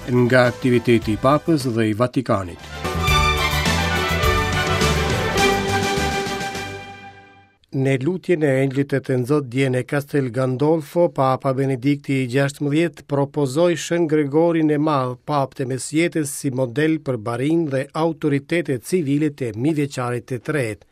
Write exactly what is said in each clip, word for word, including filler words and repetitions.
Nga aktiviteti i Papës dhe i Vatikanit. Në lutjen e Engjëllit të Tënzot dje në Castel Gandolfo, Papa Benedikti i gjashtëmbëdhjetë propozoi Shën Gregorin e Madh, papë të mesjetës, si model për barinj dhe autoritetet civile të mijëvjeçarit të tretë.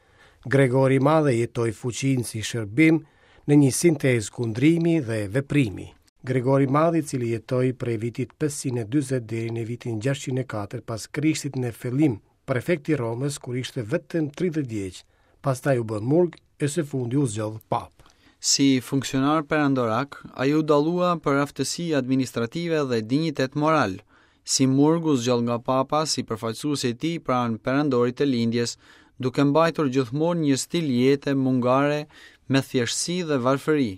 Gregori i Madh e jetoi fuqinë si shërbim në një sintezë kundrimi dhe veprimi. Gregori i Madh, i cili jetoi prej vitit pesëqind e dyzet deri në vitin gjashtëqind e katër pas Krishtit, në fillim prefekt i Romës kur ishte vetëm tridhjetë vjeç, pastaj u bë murg e së fundi u zgjodh papë. Si funksionar perandorak, ai u dallua për aftësi administrative dhe dinjitet moral. Si murg u zgjodh nga papa si përfaqësuesi i tij pranë perandorit të lindjes, duke mbajtur gjithmonë një stil jete mungare me thjeshtësi dhe varfëri.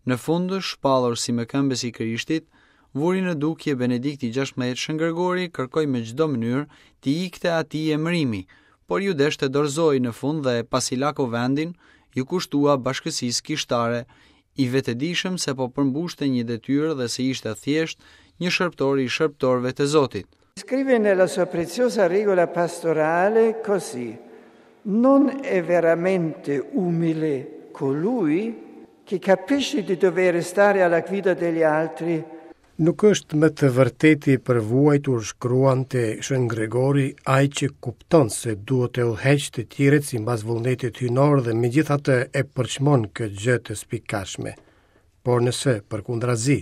Në fund, shpallur si mëkëmbës i Krishtit, vuri në dukje Benedikti gjashtëmbëdhjetë Shën Gregori kërkoi me çdo mënyrë t'i ikte atij emërimi, por ju desh të dorëzoi në fund dhe pasi la kuvendin, ju kushtua bashkësisë kishtare, i vetëdijshëm se po përmbushte një detyrë dhe se ishte thjesht një shërbëtor i shërbëtorëve të Zotit. Scrive nella sua preziosa regola pastorale così: Non è veramente umile colui che capisce di dover stare alla guida degli altri. Nuk është më të vërteti për vuajtur, shkruante Shën Gregori, ai që kupton se duhet të udhëheqë të tjerët sipas vullnetit hyjnor dhe megjithatë e përçmon këtë gjë të spikashme. Por nëse, përkundrazi,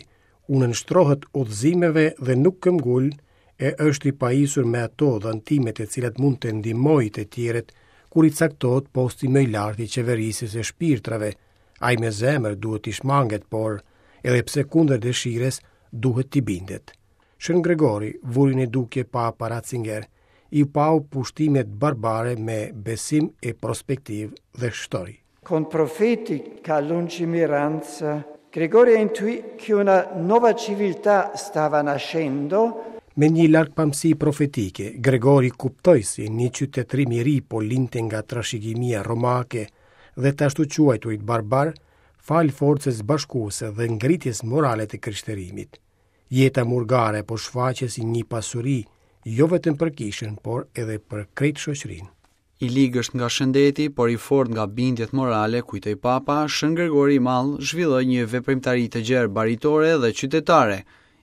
u nënshtrohet udhëzimeve dhe nuk këmbgul, e është i pajisur me ato dhëntimet e cilat mund të ndihmojë të tjerët, kur i caktohet posti më i lartë i qeverisë së shpirtrave, ai me zemër duhet t'i shmanget, por edhe pse kundër dëshirës, duhet t'i bindet. Shën Gregori vuri në dukje Papa Ratzinger, i pau pushtimet barbare me besim e prospektiv dhe shtoi: Con profetica lungimiranza, Gregorio intuì che una nuova civiltà stava nascendo. Me një largpamësi profetike, Gregori kuptoi se një qytetërim i ri po linte nga trashëgimia romake dhe të ashtu quajturit barbar, fal forcës bashkuese dhe ngritjes morale të krishterimit. Jeta murgare po shfaqej si një pasuri, jo vetëm për kishën, por edhe për krejt shoqërinë. I ligësht nga shëndeti, por i fort nga bindjet morale, kujtoi Papa, Shën Gregori i Madh zhvilloi një veprimtari të gjerë baritore dhe qytetare,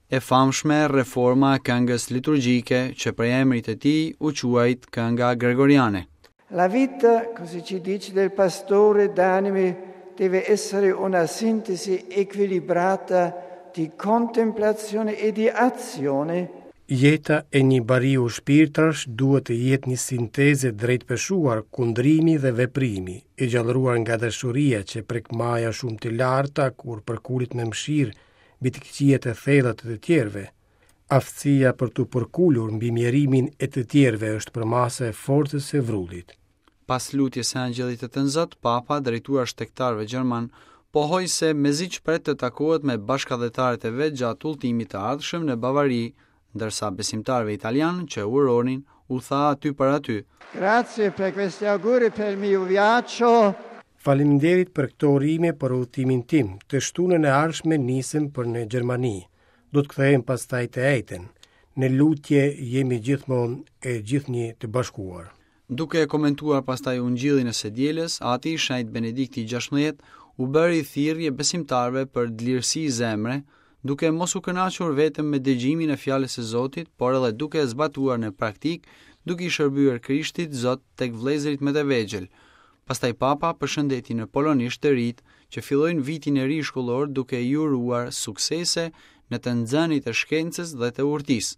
e famshme reforma e këngës liturgjike që prej emrit të tij u quajt kënga gregoriane. La vita, così ci dice del pastore d'anime, deve essere una sintesi equilibrata di contemplazione e di azione. Jeta e një bariu shpirtrash duhet të jetë një sintezë drejtpeshuar kundrimi dhe veprimi, e gjallëruar nga dashuria që prek maja shumë të larta kur përkulet me mëshirë mbi të këqijat e thella të të tjerëve. Aftësia për t'u përkulur mbi mjerimin e të tjerëve është përmasa e forcës së vrullit. Pas lutjes së Angjëllit të Tënzot, Papa, drejtuar shtegtarëve gjerman, pohoi se mezi pret të takohet me bashkadhetarët e vet gjatë udhëtimit të ardhshëm në Bavari, ndërsa besimtarëve italianë që uronin u tha aty për aty: Grazie per questi auguri per il mio viaggio. Faleminderit për këto urime për udhëtimin tim. Të shtunën e ardhshme nisem për në Gjermani. Do të kthehem pastaj të ejten. Në lutje jemi gjithmonë e gjithnjë të bashkuar. Duke e komentuar pastaj ungjillin e së dielës, Ati i Shenjt Benedikti gjashtëmbëdhjetë u bëri thirrje besimtarëve për dlirësi zemre, duke mos u kënaqur vetëm me dëgjimin e fjalës së Zotit, por edhe duke e zbatuar në praktikë, duke i shërbyer Krishtit Zot tek vëllezërit më të vegjël. Pastaj Papa përshëndeti në polonisht të rit që fillojnë vitin e ri shkollor duke i uruar suksese në të nxënit e shkencës dhe të urtisë.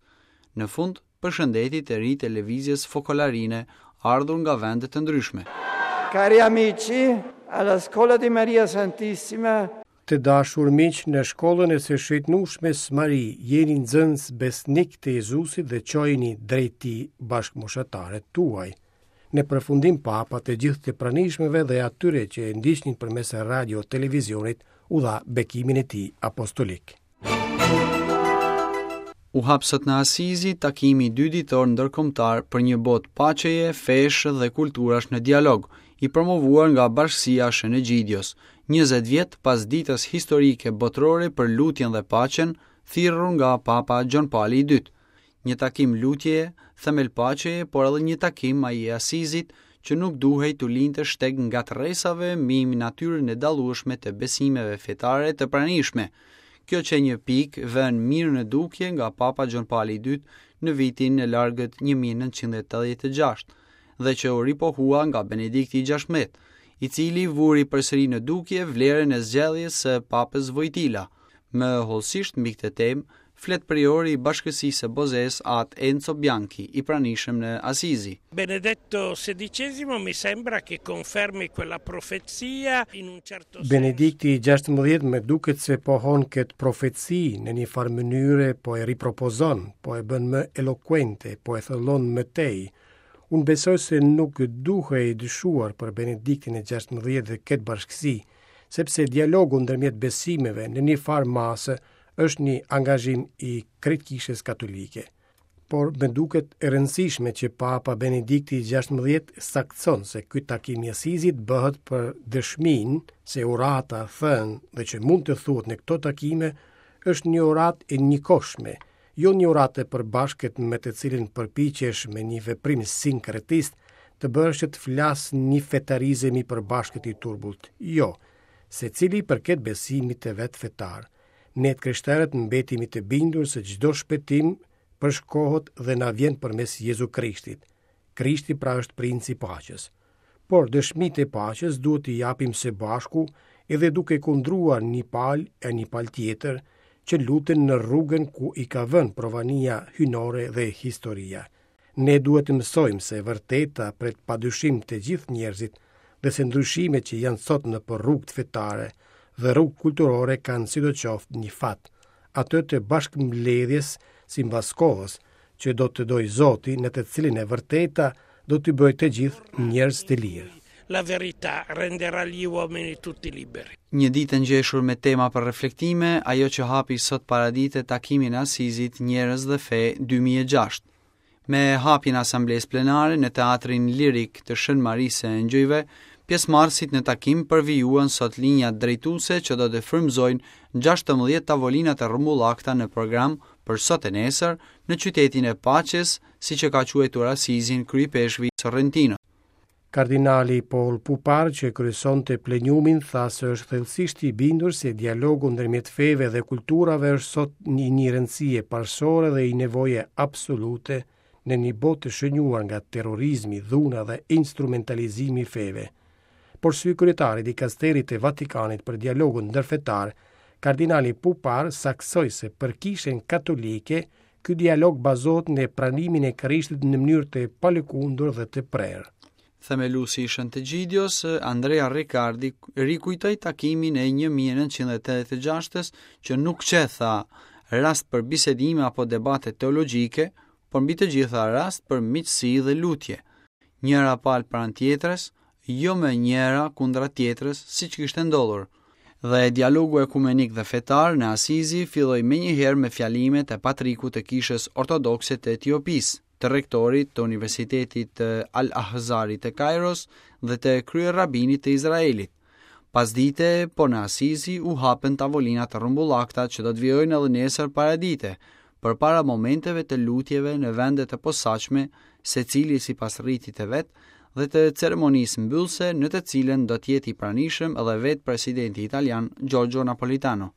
Në fund, përshëndeti të rit e lëvizjes fokolarine ardhur nga vende të ndryshme. Cari amici, alla scuola di Maria Santissima. Të dashur miq, në shkollën e së shëtnueshmes Mari, jeni nxënës besnik të Jezusit dhe çojeni drejt tij bashkëmoshatarët tuaj. Në përfundim Papa të gjithë të pranishmëve dhe atyre që e ndiqnin përmes radio televizionit u dha bekimin e tij apostolik. U hap sot në Asizi takimi dy ditor ndërkombëtar për një botë paqeje, fesh dhe kulturash në dialog, i promovuar nga Bashkësia Shën Egjidios, njëzet vjet pas ditës historike botërore për lutjen dhe paqen, thirrur nga Papa Gjon Pali i dytë. Një takim lutjeje, themel paqeje, por edhe një takim ai i Asizit që nuk duhej t'u linte shteg ngatërresave mbi natyrën e dallueshme të besimeve fetare të pranishme. Kjo qe një pikë vënë mirë në dukje nga Papa Gjon Pali i Dytë në vitin e largët një mijë e nëntëqind e tetëdhjetë e gjashtë dhe që u ripohua nga Benedikti i gjashtëmbëdhjetë, i cili vuri përsëri në dukje vlerën e zgjedhjes së Papës Vojtila. Më hollësisht mbi këtë temë flet priori i Bashkësisë së Bozes, At Enzo Bianchi, i pranishëm në Asizi. Benedetto sedicesimo mi sembra che confermi quella profezia in un certo senso. Benedikti i gjashtëmbëdhjetë më duket se pohon këtë profeci në një farë mënyre, po e ripropozon, po e bën më elokuente, po e thellon më tej. Unë besoj se nuk duhej dyshuar për Benediktin e gjashtëmbëdhjetë dhe këtë bashkësi, sepse dialogu ndërmjet besimeve në një farë mase është një angazhim i krejt kishës katolike. Por më duket e rëndësishme që Papa Benedikti i gjashtëmbëdhjetë saktëson se ky takim i Asizit bëhet për dëshminë se urata thënë dhe që mund të thuhet në këto takime është një uratë e njëkohshme, jo një uratë e përbashkët me të cilin përpiqesh me një veprim sinkretist të bësh që të flasë një fetarizëm i përbashkët i turbullt. Jo, secili përket besimit të vet fetar. Ne të krishterët mbetemi të bindur se çdo shpëtim përshkohet dhe na vjen përmes Jezu Krishtit. Krishti pra është princi i paqes. Por dëshmitë e paqes duhet t'i japim së bashku edhe duke kundruar një palë e një palë tjetër që luten në rrugën ku i ka vënë provania hyjnore dhe historia. Ne duhet të mësojmë se vërteta pret padyshim të gjithë njerëzit dhe se ndryshimet që janë sot në për rrugët fetare dhe rrugë kulturore kanë sidoqoftë një fat, atë të bashkëmbledhjes sipas kohës që do të dojë Zoti, në të cilin e vërteta do t'i bëjë të gjithë njerëz të lirë. La verità renderà gli uomini tutti liberi. Një ditë e ngjeshur me tema për reflektime, ajo që hapi sot paradite takimin e Asizit Njerëz dhe Fe dy mijë e gjashtë. Me hapjen e asamblesë plenare në Teatrin Lirik të Shën Marisë së Engjëjve, pjesëmarrësit në takim përvijuan sot linjat drejtuese që do të frymëzojnë gjashtëmbëdhjetë tavolinat e rrumbullakta në program për sot e nesër në qytetin e paqes, siç e ka quajtur Asizin kryepeshkvi Sorrentino. Kardinali Paul Pupar, që kryesonte plenumin, tha se është thellësisht i bindur se dialogu ndërmjet feve dhe kulturave është sot një, një rëndësi e parësore dhe i nevoje absolute në një botë të shënjuar nga terrorizmi, dhuna dhe instrumentalizimi i feve. Por si kryetari i dikasterit të Vatikanit për dialogun ndërfetar, kardinali Pupar saksoi se për kishën katolike ky dialog bazohet në pranimin e Krishtit në mënyrë të palëkundur dhe të prerë. Themeluesi i Shën të Gjidios, Andrea Riccardi, rikujtoi takimin e një mijë e nëntëqind e tetëdhjetë e gjashtës që nuk qe, tha, rast për bisedime apo debate teologjike, por mbi të gjitha rast për miqësi dhe lutje. Njëra palë pranë tjetrës, jo më njëra kundra tjetrës, siç kishte ndodhur. Dhe dialogu ekumenik dhe fetar në Asizi filloi menjëherë me fjalimet e patrikut të Kishës Ortodokse të Etiopisë, të rektorit të Universitetit të Al-Azharit të Kairos dhe të kryerrabinit të Izraelit. Pasdite, po në Asizi u hapën tavolinat e rrumbullakta që do të vijojnë edhe nesër paradite, përpara momenteve të lutjeve në vende të posaçme, secili sipas ritit të vet, dhe të ceremonisë mbyllëse në të cilën do të jetë i pranishëm edhe vetë presidenti italian Giorgio Napolitano.